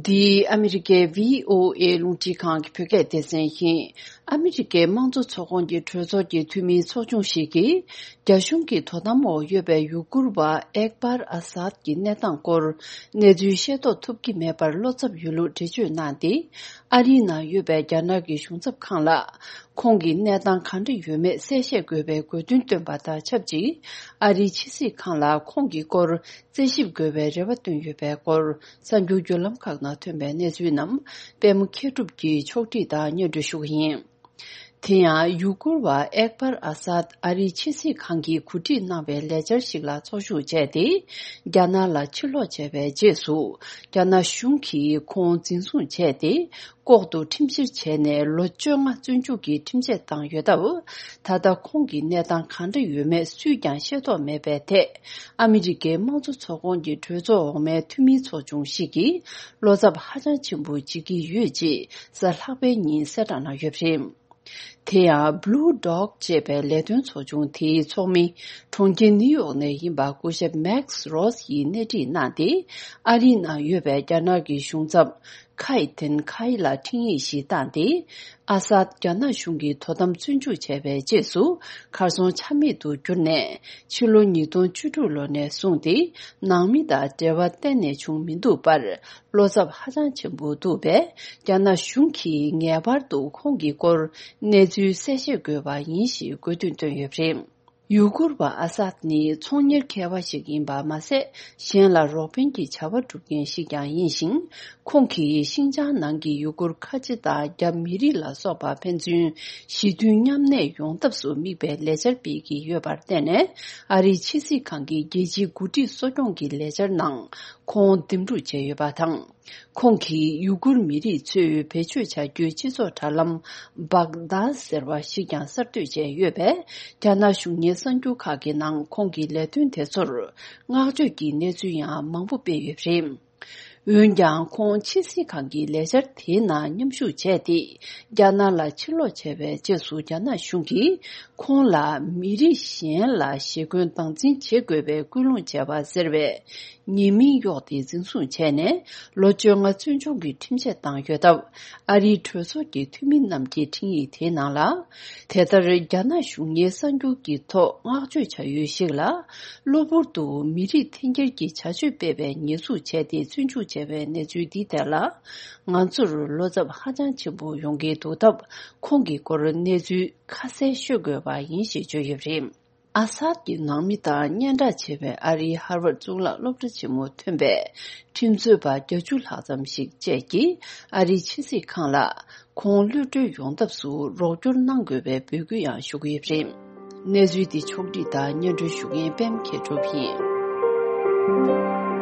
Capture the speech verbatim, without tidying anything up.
འདི་ཨ་མི་རི་ཀའི་བྷི་ཨོ་ཨེ་རླུང་འཕྲིན་ཁང་གི་བོད་སྐད་སྡེ་ཚན་ཡིན། ཨ་མི་རི་ཀའི་དམངས་གཙོ་ཚོགས་ཁོངས་ཀྱི་གྲོས་ཚོགས་ཀྱི་འཐུས་མིའི་ཚོགས་ཆུང་ཞིག་གིས། རྒྱ་གཞུང་གི་དོ་དམ་འོག་ཡོད་པའི་ཡུ་གུར་བ་ཨེག་པར་ཨ་སཱད་ཀྱི་གནས་སྟངས་སྐོར་གནས་ཚུལ་ཤེས་རྟོགས་ཐུབ་ཀྱི་མེད་པར་བློ་འཚབ་ཡོད་ལུགས་འགྲེལ་བརྗོད་གནང་སྟེ། ཨ་རིའི་ནང་ཡོད་པའི་རྒྱ་ནག་གི་གཞུང་ཚབ་ཁང་ལ། ཁོང་གི་གནས་སྟངས་གང་འདྲ་ཡོད་མེད་གསལ་བཤད་དགོས་པའི་དགོས་འདུན་བཏོན་པ་དང་ཆབས་ཅིག་ཨ་རིའི་ཕྱི་སྲིད་ཁང་ལ་ཁོང་གི་སྐོར་རྩད་ཞིབ་དགོས་པའི་རེ་བ་བཏོན་ཡོད་པའི་སྐོར། གསར་འགྱུར་བརྒྱུད་ལམ་ཁག་ནང་ཐོན་པའི་གནས་ཚུལ་རྣམས་པད་མ་མཁས་གྲུབ་ཀྱིས་ཕྱོགས་སྒྲིག་དང་སྙན་སྒྲོན་ཞུ་གི་ཡིན། དེ་ཡང་ཡུ་གུར་བ་ཨེག་པར་ཨ་སཱད་ཨ་རིའི་ཕྱི་སྲིད་ཁང་གིས་གོ་སྒྲིག་གནང་བའི་ལས་འཆར་ཞིག་ལ་ཚོགས་ཞུགས་བྱས་ཏེ། རྒྱ་ནག་ལ་ཕྱིར་ལོག་བྱས་པའི་རྗེས་སུ། རྒྱ་ནག་གཞུང་གིས་ཁོང་འཛིན་བཟུང་བྱས་ཏེ། ལྐོག་ཏུ་ཁྲིམས་བཤེར་བྱས་ནས་ལོ་བཅོ་ལྔ་བཙོན་འཇུག་གི་ཁྲིམས་ཆད་བཏང་ཡོད་སྟབས། ད་ལྟ་ཁོང་གི་གནས་སྟངས་གང་འདྲ་ཡོད་མེད་སུས་ཀྱང་ཤེས་རྟོགས་མེད་པའི་ཐད། ཨ་མི་རི་ཀའི་དམངས་གཙོ་ཚོགས་ཁོངས་ཀྱི་གྲོས་ཚོགས་འོག་མའི་འཐུས་མིའི་ཚོགས་ཆུང་ཞིག་གིས་བློ་འཚབ་ཧ་ཅང་ཆེན་པོ་བྱེད་ཀྱི་ཡོད་ཅེས་གཟའ་ལྷག་པའི་ཉིན་གསལ་བསྒྲགས་གནང་ཡོད་པ་རེད། དེ་ཡང་Blue Dog་ཅེས་པའི་ལས་དོན་ཚོགས་ཆུང་དེའི་ཚོགས་མི། གྲོང་ཁྱེར་ནིའུ་ཡོག་ནས་ཡིན་པ་སྐུ་ཞབས་Max Ross་ཡིས་སྣེ་ཁྲིད་གནང་སྟེ། ཨ་རིའི་ནང་ཡོད་པའི་རྒྱ་ནག་གི་གཞུང་ཚབ། ཁའི་ཐེན་ཁའི་ལ་འཕྲིན་ཡིག་ཞིག་བཏང་སྟེ། ཨ་སཱད་རྒྱ་ནག་གཞུང་གིས་དོ་དམ་བཙོན་འཇུག་བྱས་པའི་རྗེས་སུ། གར་སོང་ཆ་མེད་དུ་གྱུར་ནས། ཕྱི་ལོ་ཉིས་སྟོང་བཅུ་དྲུག་ལོ་ནས་བཟུང་སྟེ། ནང་མི་དང་འབྲེལ་བ་གཏན་ནས་བྱུང་མི་འདུག་པར། བློ་འཚབ་ཧ་ཅང་ཆེན་པོ་འདུག་པས། རྒྱ་ནག་གཞུང་གིས་ངེས་པར་དུ་ཁོང་གི་སྐོར་གནས་ཚུལ་གསལ་བཤད་དགོས་པ་ཡིན་ཞེས་དགོས་འདུན་བཏོན་ཡོད་པ་རེད། ཡུ་གུར་བ་ཨ་སཱད་ནི་ཚོང་གཉེར་མཁས་པ་ཞིག་ཡིན་པ་མ་ཟད། གཞན་ལ་རོགས་ཕན་གྱི་བྱ་བ་སྒྲུབ་མཁན་ཞིག་ཀྱང་ཡིན་ཞིང་། ཁོང་གིས་ཤིན་ཅང་ནང་གི་ཡུ་གུར་ཁ་ཆེ་དང་རྒྱ་མི་རིགས་ལ་སོགས་པ་ཕན་ཚུན་ཞི་མཐུན་མཉམ་གནས་ཡོང་ཐབས་སུ་དམིགས་པའི་ལས་འཆར་སྤེལ་གྱི་ཡོད་པར་བརྟེན་ནས། ཨ་རིའི་ཕྱི་སྲིད་ཁང་གི་རྒྱལ་སྤྱིའི་འགོ་ཁྲིད་གསོ་སྐྱོང་གི་ལས་འཆར་ནང་ཁོང་འདེམས་སྒྲུག་བྱས་ཡོད་པ་དང་། ཁོང་གིས་ཡུ་གུར་མི་རིགས་ཚོས་བེད་སྤྱོད་བྱ་རྒྱུའི་སྤྱི་ཚོགས་དྲ་ལམ་བག་དཱ་ཟེར་བ་ཞིག་ཀྱང་གསར་གཏོད་བྱས་ཡོད་པས། རྒྱ་ནག་གཞུང་གཉེར་གསར་འགྱུར་ཁག་གི་ནང་ཁོང་གི་ལས་དོན་དེ་ཚོར་བསྔགས་བརྗོད་ཀྱི་གནས་ཚུལ་ཡང་མང་པོ་སྤེལ་ཡོད་པ་རེད། འོན་ཀྱང་ཁོང་ཕྱི་སྲིད་ཁང་གི་ལས་འཆར་དེའི་ནང་མཉམ་ཞུགས་བྱས་ཏེ། རྒྱ་ནག་ལ་ཕྱིར་ལོག་བྱས་པའི་རྗེས་སུ་རྒྱ་ནག་གཞུང་གིས་ཁོང་ལ་མི་རིགས་གཞན་ལ་ཞེ་འཁོན་སྟངས་འཛིན་བྱེད་དགོས་པའི་སྐུལ་སློང་བྱས་པ་ཟེར་བའི། ཉེས་མིང་གཡོགས་ཏེ་འཛིན་བཟུང་བྱས་ནས་ལོ་བཅོ་ལྔ་བཙོན་འཇུག་གི་ཁྲིམས་ཆད་བཏང་ཡོད་སྟབས། ཨ་རིའི་གྲོས་ཚོགས་ཀྱི་འཐུས་མི་རྣམས་ཀྱི་འཕྲིན་ཡིག་དེའི་ནང་ལ། དེ་ལྟར་རྒྱ་ནག་གཞུང་གཉེར་གསར་འགྱུར་གྱི་ཐོག་བསྔགས་བརྗོད་བྱ་ཡུལ་ཞིག་ལ། གློ་བུར་དུ་མི་རིགས་འཐེན་འཁྱེར་གྱི་བྱ་སྤྱོད་སྤེལ་བའི་ཉེས་འཛུགས་བྱས་ཏེ་བཙོན་འཇུག་བྱས་པའི་གནས་ཚུལ་འདི་ཐད་ལ། ང་ཚོར་བློ་འཚབ་ཧ་ཅང་ཆེན་པོ་ཡོང་གི་འདུག་སྟབས། ཁོང་གི་སྐོར་གནས་ཚུལ་ཁ་གསལ་ཤོད་དགོས་པ་ཡིན་ཞེས་བརྗོད་ཡོད་པ་རེད། ཨ་སཱད་ཀྱི་ནང་མི་དང་སྙན་གྲགས་ཆེ་བའི་ཨ་རིའི་ཧར་ཝར་གཙུག་ལག་སློབ་གྲྭ་ཆེན་མོ་ཐོན་པའི་ཁྲིམས་རྩོད་པ་བརྒྱད་ཅུ་ལྷག་ཙམ་ཞིག་བཅས་ཀྱིས་ཨ་རིའི་ཕྱི་སྲིད་ཁང་ལ་ཁོང་གློད་གྲོལ་ཡོང་ཐབས་སུ་རོགས་སྐྱོར་གནང་དགོས་པའི་འབོད་སྐུལ་ཡང་ཞུ་གི་ཡོད་པ་རེད། གནས་ཚུལ་འདི་ཕྱོགས་བསྒྲིགས་དང་སྙན་སྒྲོན་ཞུ་མཁན་པད་མ་མཁས་གྲུབ་ཡིན།